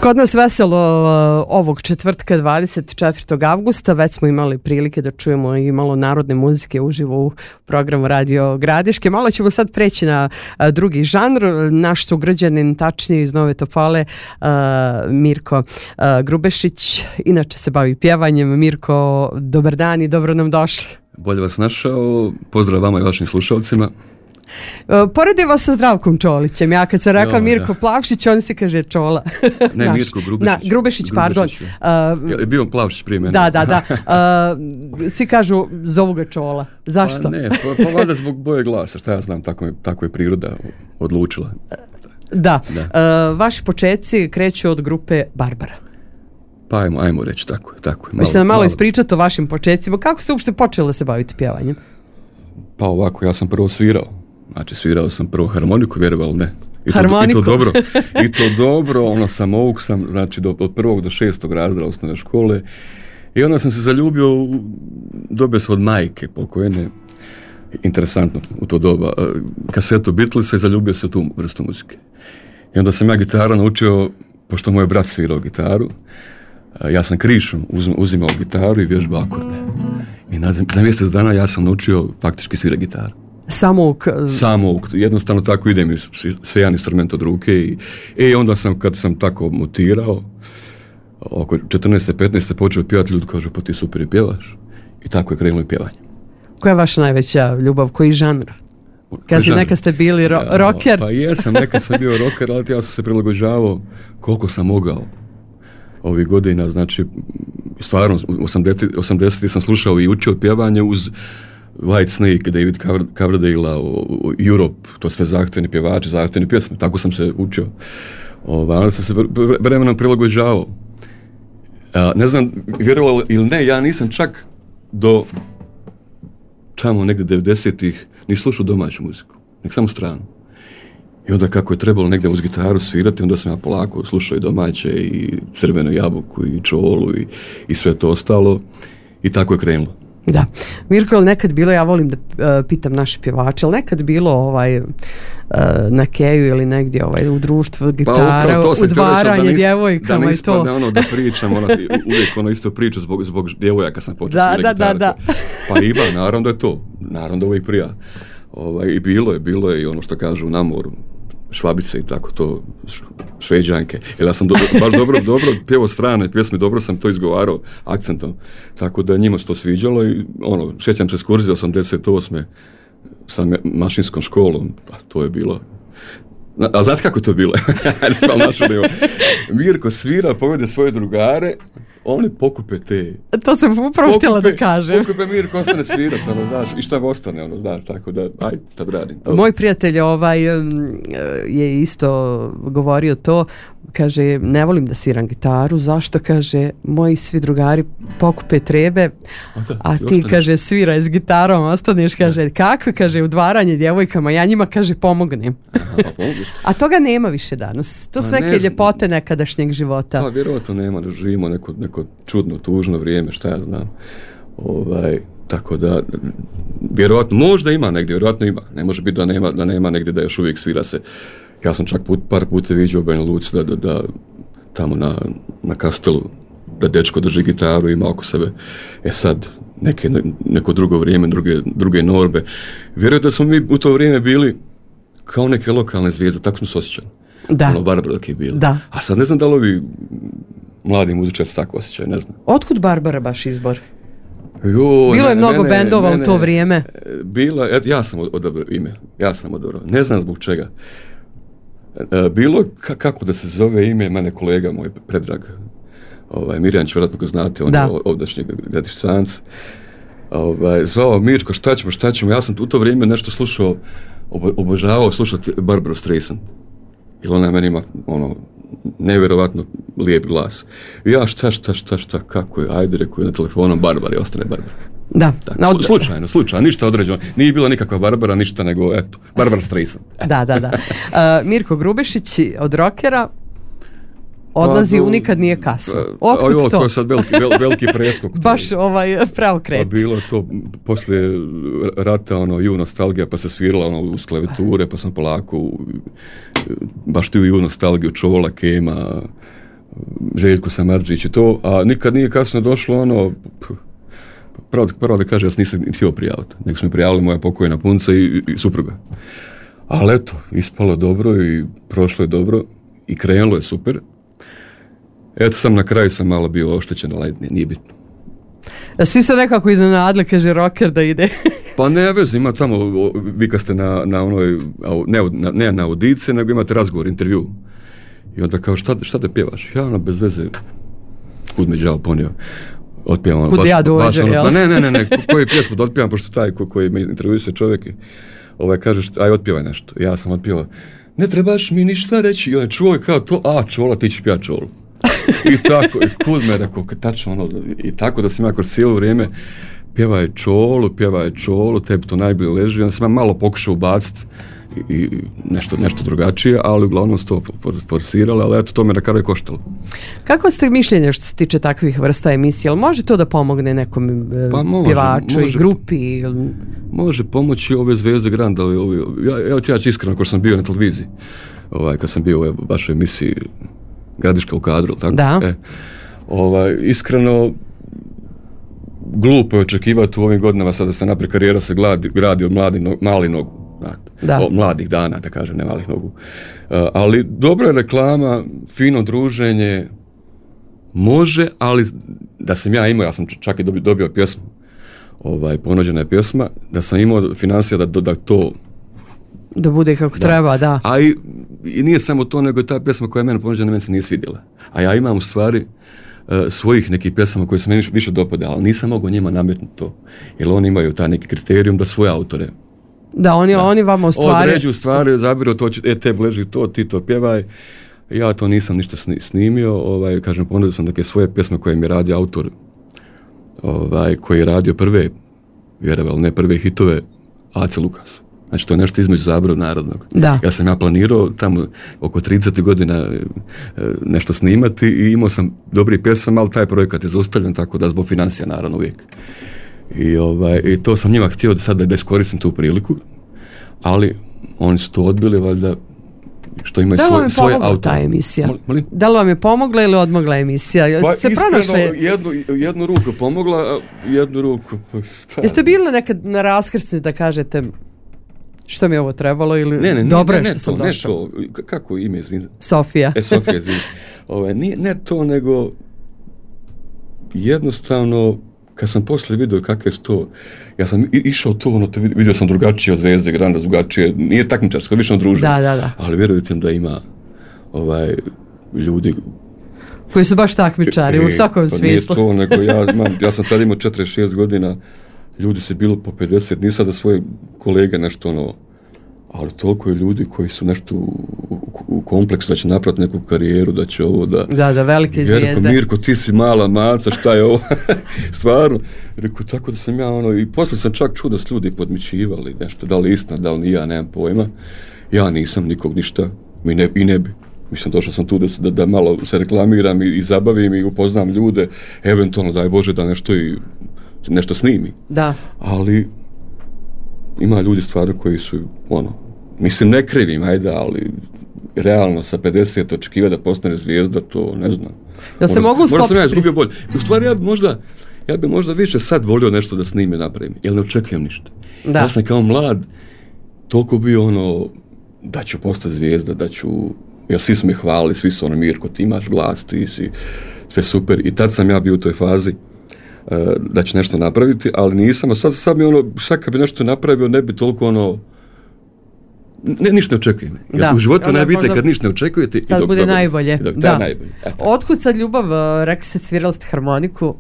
Kod nas veselo ovog četvrtka 24. avgusta, već smo imali prilike da čujemo i malo narodne muzike uživo u programu Radio Gradiške. Malo ćemo sad preći na drugi žanr. Naš sugrađanin, tačnije iz Nove Topole, Mirko Grubešić, inače se bavi pjevanjem. Mirko, dobar dan i dobro nam došli. Bolje vas našao, pozdrav vama i vašim slušalcima. Poredi vas sa Zdravkom Čolićem. Ja kad sam rekla Mirko Plavšić, on se kaže Čola. Ne, Mirko Grubešić. Grubešić, pardon. Je bio Plavšić prije mene. Da. Svi kažu, zovu ga Čola. Zašto? Pa ne, pa valjda zbog boje glasa, šta ja znam, tako je priroda odlučila. Da. Vaši početci kreću od grupe Barbara. Pa ajmo reći, tako. Možete nam malo ispričati o vašim početcima. Kako ste uopšte počeli se baviti pjevanjem? Pa ovako, ja sam prvo svirao. Znači, svirao sam prvo harmoniku, vjerovali ne. Harmoniku? I to dobro, ono samouk sam, znači, od 1. do 6. razreda osnovne škole. I onda sam se zaljubio, dobio sam od majke pokojene, interesantno u to doba, kasetu Beatlesa i zaljubio se u tu vrstu muzike. I onda sam ja gitaru naučio, pošto moj brat svirao gitaru, ja sam krišom uzimao gitaru i vježbao akorde. I za mjesec dana ja sam naučio faktički svirati gitaru. Samouk, jednostavno tako ide mi sve jedan instrument od ruke i onda sam, kad sam tako mutirao, oko 14. 15. počeo pjevati, ljudi kažu, pa ti super i pjevaš. I tako je krenulo i pjevanje. Koja je vaša najveća ljubav, koji žanr? Kaže, neka ste bili rocker. Pa jesam, neka sam bio rocker, ali ja sam se prilagođavao koliko sam mogao ovih godina, znači stvarno 80. sam slušao i učio pjevanje uz White Snake, David Coverdale, Europe, to sve zahtjevni pjevači, zahtjevni pjesme, tako sam se učio. Ali sam se vremenom prilagođavao. Ne znam, vjerovalo ili ne, ja nisam čak do tamo negdje 90-ih ni slušao domaću muziku, nek samo stranu. I onda kako je trebalo negdje uz gitaru svirati, onda sam ja polako slušao i domaće, i Crvenu jabuku, i Čolu, i sve to ostalo. I tako je krenulo. Da. Mirko, je li nekad bilo, ja volim da pitam naše pjevače, ali nekad bilo na keju ili negdje u društvu gitara, udvaranje djevojkama i to? Da ne ispadne da pričam, uvijek isto priču zbog djevojaka sam počeo svirati gitaru. Da. Pa ima, naravno da je to. Naravno da uvijek prija. I bilo je i ono što kažu na moru, Švabice i tako to, Šveđanke. Jer ja sam baš dobro pjevao strane pjesme, dobro sam to izgovarao akcentom. Tako da njima se to sviđalo i sjećam se ekskurzije 88. sa mašinskom školom, pa to je bilo. A znate kako to bilo? Mirko svira, povede svoje drugare, oni pokupe te. To sam upravo htjela da kažem. Pokupe Mirko, ostane svirat, znaš, i šta ostane, znaš, tako da, ajde, tad radim. Moj prijatelj je isto govorio to, kaže, ne volim da sviram gitaru, zašto, kaže, moji svi drugari pokupe trebe, a ti, ostaneš. Kaže, sviraj s gitarom, ostaneš, kaže, kako, kaže, udvaranje djevojkama, ja njima, kaže, pomognem. A toga nema više danas. To su neke ljepote nekadašnjeg života. Pa, vjerovatno nema, da živimo neko čudno, tužno vrijeme, šta ja znam. Tako da, vjerovatno, možda ima negdje, vjerovatno ima. Ne može biti da nema negdje da još uvijek svira se. Ja sam čak par puta viđao u Banja Luci da tamo na Kastelu, da dečko drži gitaru, ima oko sebe. Sad, neko drugo vrijeme, druge norbe. Vjerujem da smo mi u to vrijeme bili kao neke lokalne zvijezde, tako smo se osjećali. Da. Barbara dok je bila. Da. A sad ne znam da li ovi mladi muzičari tako osjećaju, ne znam. Otkud Barbara baš izbor? Bilo je mnogo bendova u to vrijeme. Ja sam odabrao ime. Ne znam zbog čega. Bilo kako da se zove ime, mene kolega moj Predrag Mirjanić, vjerojatno ga znate, on je ovdašnji Gradišćanac, zvao Mirko, šta ćemo, ja sam u to vrijeme nešto slušao, obožavao slušati Barbaru Streisand, jer ona meni ima nevjerovatno lijep glas. I ja šta, kako je, ajde, rekao je na telefonom Barbara i ostane Barbara. Da. Slučajno, ništa određeno. Nije bila nikakva Barbara, ništa, nego eto, Barbara Streisand. Da. Mirko Grubešić od rockera odlazi u Nikad nije kasno. Otkud to? To je sad veliki preskok. Baš preokret. Pa bilo to poslije rata, ju nostalgija, pa se svirala uz klavijature, pa sam polako baš ti u nostalgiju Čola, Kema, Željko Samardžić i to, a nikad nije kasno došlo ono, pravo da kaže, ja se nisam htio prijaviti, nego su mi prijavili moja pokojna punca i supruga. Ali eto, ispalo dobro i prošlo je dobro i krenulo je super. Eto, sam na kraju sam malo bio oštećen, ali nije bitno. Svi se nekako iznenadili, kaže rocker da ide. Pa ne veze, ima tamo, vi kad ste na onoj, ne na audiciji, nego imate razgovor, intervju. I onda kao, šta te pjevaš? Ja ono, bez veze, kud me đavo ponio. Otpijem ono, kud ja dođem, jel? Pa ne, koju pjesmu da otpijem, pošto taj koji me intervjuju se čovjek kaže, aj otpjevaj nešto. Ja sam otpjevao, ne trebaš mi ništa reći. I on je čuo kao to, čola, ti ću pjevati čolu. I tako, i kud me rekao, tačno ono, i tako da sam ja kroz cijelo vrijeme pjevaj čolu, tebi to najbolje leži. Onda sam ja malo pokušao ubaciti i nešto drugačije, ali uglavnom su to forsirali, ali eto, to me na kraju koštalo. Kako ste mišljenje što se tiče takvih vrsta emisija? Ali može to da pomogne nekom pjevaču i grupi? Može pomoći ove zvezde Granda. Ja ću iskreno, ako sam bio na televiziji, kad sam bio u vašoj emisiji Gradiška u kadru, tako? Da. Iskreno, glupo je očekivati u ovim godinama sada da se naprijed karijera se gradi od malih nogu. Od mladih dana, da kažem, ne malih nogu. Ali dobra je reklama, fino druženje, može, ali da sam ja imao, ja sam čak i dobio pjesmu, ponuđena je pjesma, da sam imao financija da to da bude kako treba, da. A i nije samo to, nego ta pjesma koja je meni ponuđena, meni se nije svidjela. A ja imam u stvari svojih nekih pjesama koje se meni više dopada, ali nisam mogao njima nametnuti to. Jer oni imaju taj neki kriterijum da svoje autore. Da, oni vama u stvari određuju stvari, zabiru to, tebi leži to, ti to pjevaj. Ja to nisam ništa snimio, kažem, ponudio sam neke svoje pjesme koje mi je radio autor, koji je radio prve, vjerovali ne prve hitove, Ace Lukas. Znači, to je nešto između Zaborav narodnog. Da. Ja sam planirao tamo oko 30 godina nešto snimati i imao sam dobri pjesama, ali taj projekat je zaustavljen, tako da zbog financija, naravno, uvijek. I to sam njima htio da iskoristim tu priliku, ali oni su to odbili, valjda, što imaju svoje auto. Ta emisija? Da li vam je pomogla ili odmogla emisija? Pa iskreno, jednu ruku pomogla, a jednu ruku... Jeste bili nekad na raskrsnici da kažete što mi je ovo trebalo ili dobro je što sam došao? Ne to, kako ime, izvini? Sofija. Sofija, izvini. Ne to, nego jednostavno, kad sam poslije vidio kakve su to, ja sam išao to, vidio sam drugačije od Zvezde Granda, drugačije, nije takmičarsko, više druženje. Da. Ali vjerujte da ima ljudi koji su baš takmičari u svakom smislu. Nije to, nego ja sam tada imao 46 godina, ljudi se bilo po 50, nisam da svoje kolege nešto ali toliko je ljudi koji su nešto u kompleksu da će napraviti neku karijeru, da će ovo da velike zvijezde. Mirko, ti si mala maca, šta je ovo? Stvarno. Rekao, tako da sam ja i poslije sam čak čuo da su ljudi podmićivali nešto, da li istina, da li nije, ja nemam pojma. Ja nisam nikog ništa, i ne bi. Mislim, došao sam tu da malo se reklamiram i zabavim i upoznam ljude, eventualno, daj Bože, da nešto snimi. Da. Ali ima ljudi stvarno koji su, mislim, ne krivim, ajde, ali realno sa 50 očekiva da postane zvijezda, to ne znam. Da se mogu stopiti. Možda sam ja izgubio bolje. U stvari, ja bi možda više sad volio nešto da snime, napravim, jer ne očekujem ništa. Da. Ja sam kao mlad toliko bio da ću postati zvijezda, jer svi su mi hvalili, svi su Mirko, ti imaš glas, ti si sve super, i tad sam ja bio u toj fazi da ću nešto napraviti, ali nisam, a sad mi sad kad bi nešto napravio, ne bi toliko ništa ne očekujem. U životu najbitnije kad ništa ne očekujete i dok bude najbolje. Da. Otkud sad ljubav, rekli ste, svirali ste harmoniku,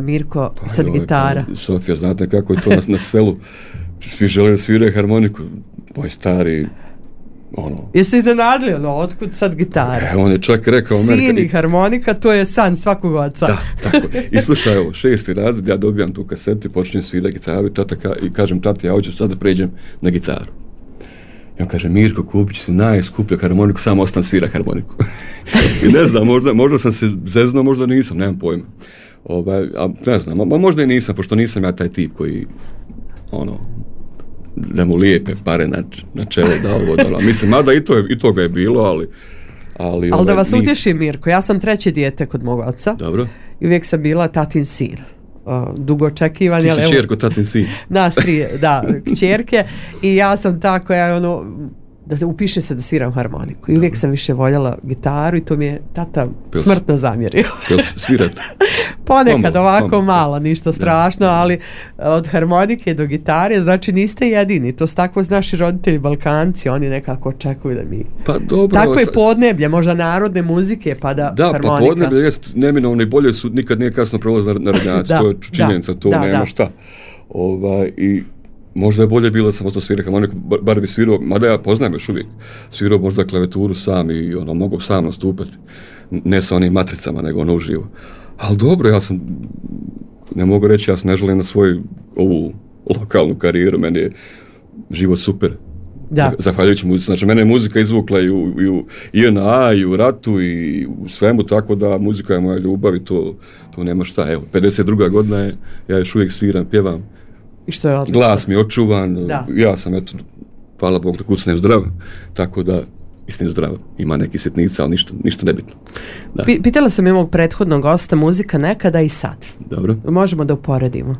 Mirko, sad gitara. Sofija, znate kako je to na selu, svi žele da sviraju harmoniku, moj stari, Jeste iznenadili, otkud sad gitara? On je čak rekao... Sin i harmonika, to je san svakog oca. Da, tako. I slušaj ovo, 6. razred, ja dobijam tu kasetu i počnem svirati gitaru i kažem, tati, ja hoću sad da pređem na gitaru. I on kaže, Mirko, kupit ću si najskuplju harmoniku, samo ostan svira harmoniku. I ne znam, možda sam se zeznuo, možda nisam, nemam pojma. Ne znam, možda i nisam, pošto nisam ja taj tip koji, da mu lijepe pare na čelo, da ovo. Mislim, mada i to ga je bilo, Ali da vas utješim, Mirko, ja sam 3. dijete kod mog oca. Dobro. I uvijek sam bila tatin sin. Dugo očekivan. Ti si čerko, tatin sin. Nas 3, da, kćerke. I ja sam ta koja upiše se da sviram harmoniku. I uvijek sam više voljela gitaru i to mi je tata smrtno zamjerio. Jel svirate? Ponekad ovako malo, ništa strašno, ali od harmonike do gitare, znači niste jedini. To su tako naši roditelji Balkanci, oni nekako očekuju da mi... Pa dobro. Tako je podneblje, možda narodne muzike, pa da harmonika. Da, pa podneblje jest neminovno i bolje su, nikad nije kasno prolaz narodnjaci, to je činjenica, to nema šta. I možda je bolje bilo samo to svira harmoniku, bar bi svirao, mada ja poznajem još uvijek, svirao možda klavijeturu sam i mogu sam nastupati, ne sa onim matricama, nego uživo. Ali dobro, ja sam, ne mogu reći, ja sam ne želim na svoju ovu lokalnu karijeru, meni je život super. Da. Zahvaljujući muzici, znači mene je muzika izvukla i u JNA, i u ratu, i u svemu, tako da muzika je moja ljubav i to nema šta. Evo, 52. godina je, ja još uvijek sviram, pjevam. I što je odlično. Glas mi je očuvan, ja sam, eto, hvala Bogu da kucnem zdrav, tako da istim zdrav, ima neki sitnica, ali ništa nebitno. Da. Pitala sam mog prethodnog gosta, muzika nekada i sad. Dobro. Možemo da uporedimo.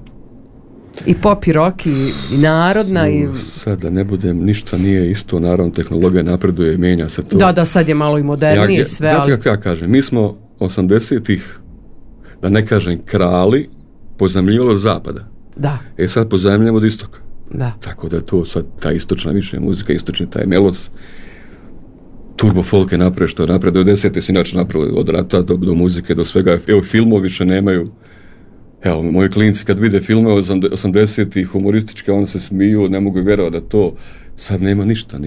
I pop i rock i narodna. Sad da ne budem, ništa nije isto, naravno tehnologija napreduje, mijenja se to. Da, sad je malo i modernije sve. Znate kako ja kažem, mi smo 80-ih, da ne kažem krali, pozemljivalo od zapada. Da. Sad pozajemljamo od istoka. Da. Tako da je to sad ta istočna više muzika, istočni taj melos. Turbo folk je napravio što je napravio. 90. si inače napravili od rata do muzike, do svega. Evo, filmovi više nemaju. Evo, moji klinci kad vide filme od 80-ih humorističke, oni se smiju, ne mogu vjerovati da to sad nema ništa.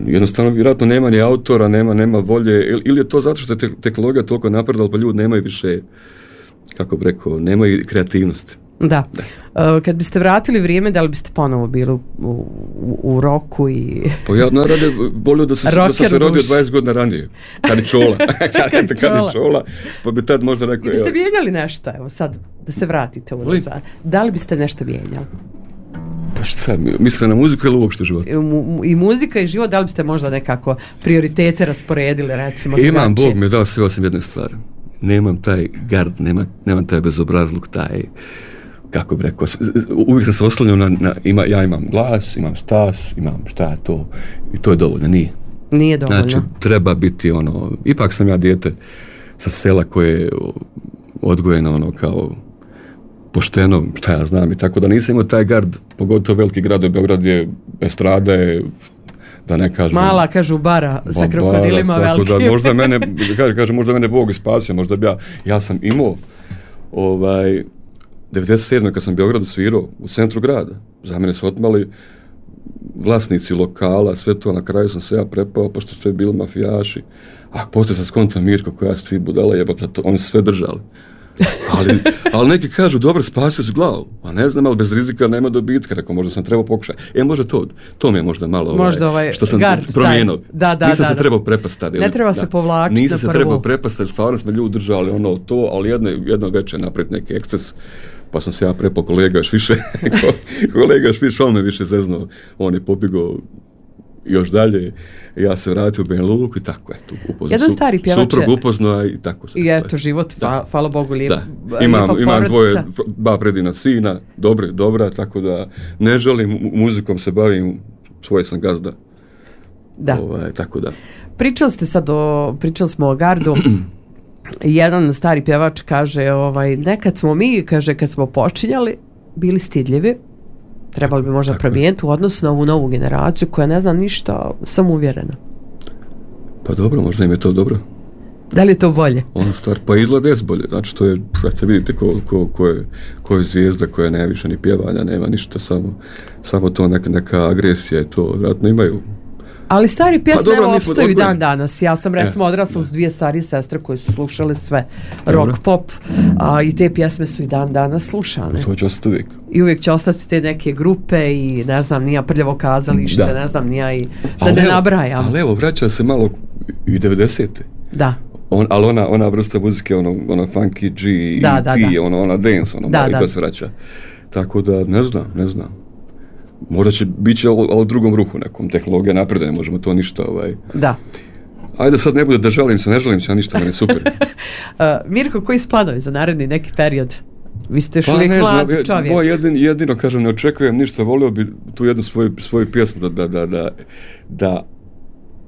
Jednostavno, vjerojatno nema ni autora, nema volje. Ili je to zato što je tehnologija toliko napredala, pa ljudi nemaju više, kako bi rekao, nemaju kreativnosti. Da. Kad biste vratili vrijeme, da li biste ponovo bili u roku i... Pa ja narade volio da sam se rodio 20 godina ranije. Kad je čola, pa bi tad možda rekao... Biste mijenjali nešto, evo sad, da se vratite unazad. Da li biste nešto mijenjali? Pa šta, mislite na muziku ili uopšte život? I muzika i život, da li biste možda nekako prioritete rasporedili, recimo? Imam, Bog mi je dao sve osim jedne stvari. Nemam taj gard, nemam taj bezobrazluk, taj, kako bi rekao, uvijek sam se oslanjao ja imam glas, imam stas, imam šta je to, i to je dovoljno, nije. Nije dovoljno. Znači, treba biti ipak sam ja dijete sa sela koje je odgojeno kao pošteno, šta ja znam, i tako da nisam imao taj gard, pogotovo veliki grad, Beograd je, estrada je, da ne kažem... Mala, kažu, bara sa krokodilima velikim. Tako da možda mene, možda mene Bog spasio, možda bi ja sam imao 97. kad sam u Beogradu svirao u centru grada, za mene su otmali vlasnici lokala, sve to, na kraju sam se ja prepao, pa što sve bili mafijaši. Poslije sam skontam, Mirko, koja su ti budala jebata, oni sve držali. ali neki kažu, dobro, spasio su glavu. A ne znam, ali bez rizika nema dobitka. Rekao, možda sam trebao pokušati. Možda to mi je možda malo što sam promijenio. Nisam se trebao prepastati. Ne treba se povlačiti. Nisam se trebao prepastati, stvarno smo ljudi držali ali jedno večer napraviti neki eksces. Pa sam se ja prepao, kolega još više, on me više zeznuo. On je pobjegao još dalje, ja se vratio u Banja Luku i tako, eto, upoznao. Jedan stari pjevač suprug upoznao i tako se. I eto, život, hvala Bogu, lijepa imam dva predivna sina, dobra, tako da ne želim, muzikom se bavim, svoj sam gazda. Da. Tako da. Pričali smo o gardu. Jedan stari pjevač kaže, nekad smo mi, kaže, kad smo počinjali, bili stidljivi, trebali bi možda promijeniti u odnosu na ovu novu generaciju koja ne zna ništa, samouvjerena. Pa dobro, možda im je to dobro. Da li je to bolje? Pa izgleda je bolje, znači to je, vidite ko je zvijezda koja ne više ni pjevanja, nema ništa, samo to neka agresija i to, vjerojatno imaju. Ali stari pjesme opstaju i dan danas. Ja sam recimo odrasla s 2 starije sestre koje su slušale sve rock, pop, i te pjesme su i dan danas slušane. To će ostati uvijek. I uvijek će ostati te neke grupe i ne znam, nija Prljavo kazalište, ne znam, nija i da ne nabrajam. Ali evo, vraća se malo i 90-te. Da. Ali ona vrsta muzike, ona funky G, ona dance, i to se vraća. Tako da, ne znam. Možda će biti u drugom ruhu nekom, tehnologija napreduje, ne možemo to ništa Da. Ajde sad ne bude da žalim se, ne žalim se, a ništa, meni super. Mirko, koji su planovi za naredni neki period? Vi ste još uvijek mlad čovjek. Jedino, kažem, ne očekujem ništa, volio bi tu jednu svoju pjesmu da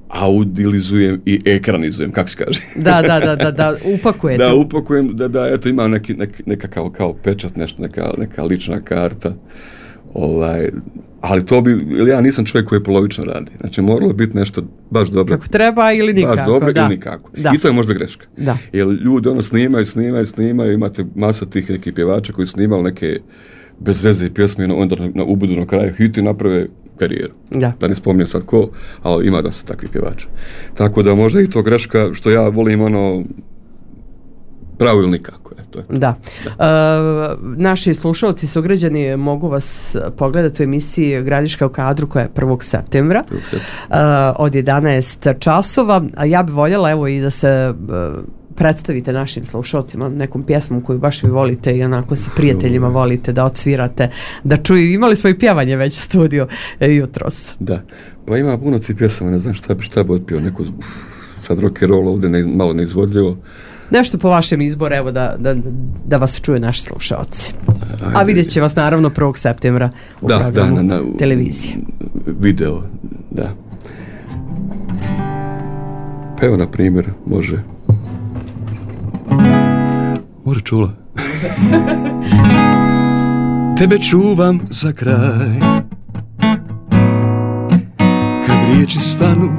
audilizujem i ekranizujem, kako se kaže. Da, upakujete. Da, upakujem, eto, imam nekakav kao pečat, nešto, neka lična karta, ali to bi, ili ja nisam čovjek koji polovično radi. Znači, moralo biti nešto baš dobro. Kako treba ili nikako. Baš dobro ili nikako. I to je možda greška. Da. Jer ljudi snimaju, imate masa tih nekih pjevača koji snimali neke bez veze pjesme, onda na ubudu na kraju hiti naprave karijeru. Da ne spominjem sad ko, ali ima dosta takvih pjevača. Tako da možda i to greška, što ja volim pravo ili nikako. Da. Naši slušalci, sugrađani, mogu vas pogledati u emisiji Gradiška u kadru koja je 1. septembra od 11 časova. A ja bih voljela evo i da se predstavite našim slušalcima nekom pjesmom koju baš vi volite i onako sa prijateljima volite da odsvirate, da čuju. Imali smo i pjevanje već u studiju jutros. Da, pa ima puno tih pjesama, ne znam šta bi otpio, neko sad rock and roll ovdje malo neizvodljivo. Nešto po vašem izboru, evo da vas čuje naši slušalci. A vidjet će vas naravno 1. septembra u programu televizije. Video, da. Pa evo, na primjer, može Čula. Tebe čuvam za kraj, kad riječi stanu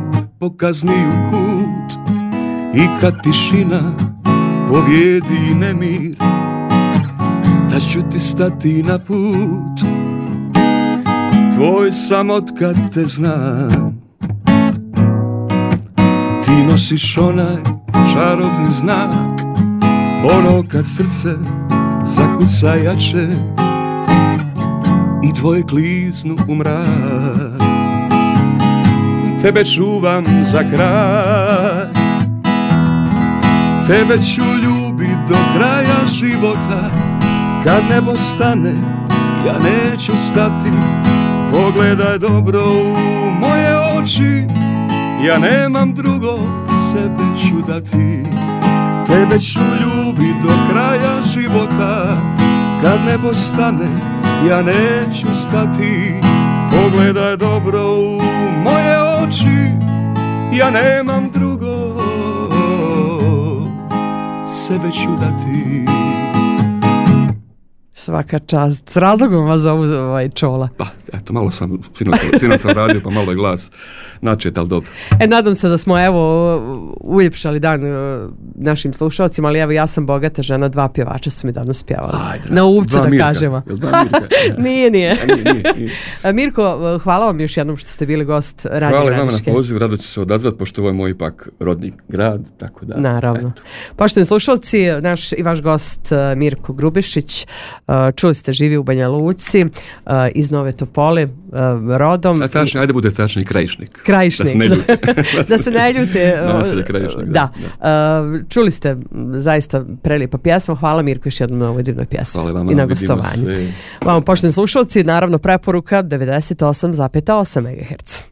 pokazni u kut i kad tišina pobjedi nemir, da ću ti stati na put. Tvoj sam otkad te znam, ti nosiš onaj čarobni znak, ono kad srce zakuca jače i tvoje kliznu u mrak. Tebe čuvam za kraj, tebe ću ljubit do kraja života. Kad nebo stane, ja neću stati. Pogledaj dobro u moje oči, ja nemam drugo, sebe ću dati. Tebe ću ljubit do kraja života. Kad nebo stane, ja neću stati. Pogledaj dobro u moje oči, ja nemam drugo, sebe ću dati. Svaka čast. S razlogom vas zovu Čola. Pa, eto, malo sam, sinoć sam radio, pa malo je glas načet, ali dobro. Nadam se da smo, evo, uljepšali dan našim slušalcima, ali evo, ja sam bogata žena, 2 pjevača su mi danas pjevali. Na uvce, da Mirka. Kažemo. Jel 2 Mirka? Nije. Nije. Mirko, hvala vam još jednom što ste bili gost Radio Gradiške. Hvala vama na poziv, rado ću se odazvat, pošto ovo je moj ipak rodni grad, tako da. Naravno. Eto. Poštovani slušalci, naš i vaš gost Mirko Grubišić, čuli ste, živi u Banja Luci, iz Nove Topole, rodom. Tačni, ajde bude tačni, Krajišnik. Da se ne ljute. Naselje Krajišnik. Da. Čuli ste zaista prelijepa pjesma. Hvala Mirko još jednom na ovoj divnoj pjesmi. Hvala vama, i na gostovanju. Vama, poštovani slušalci, naravno preporuka 98,8 MHz.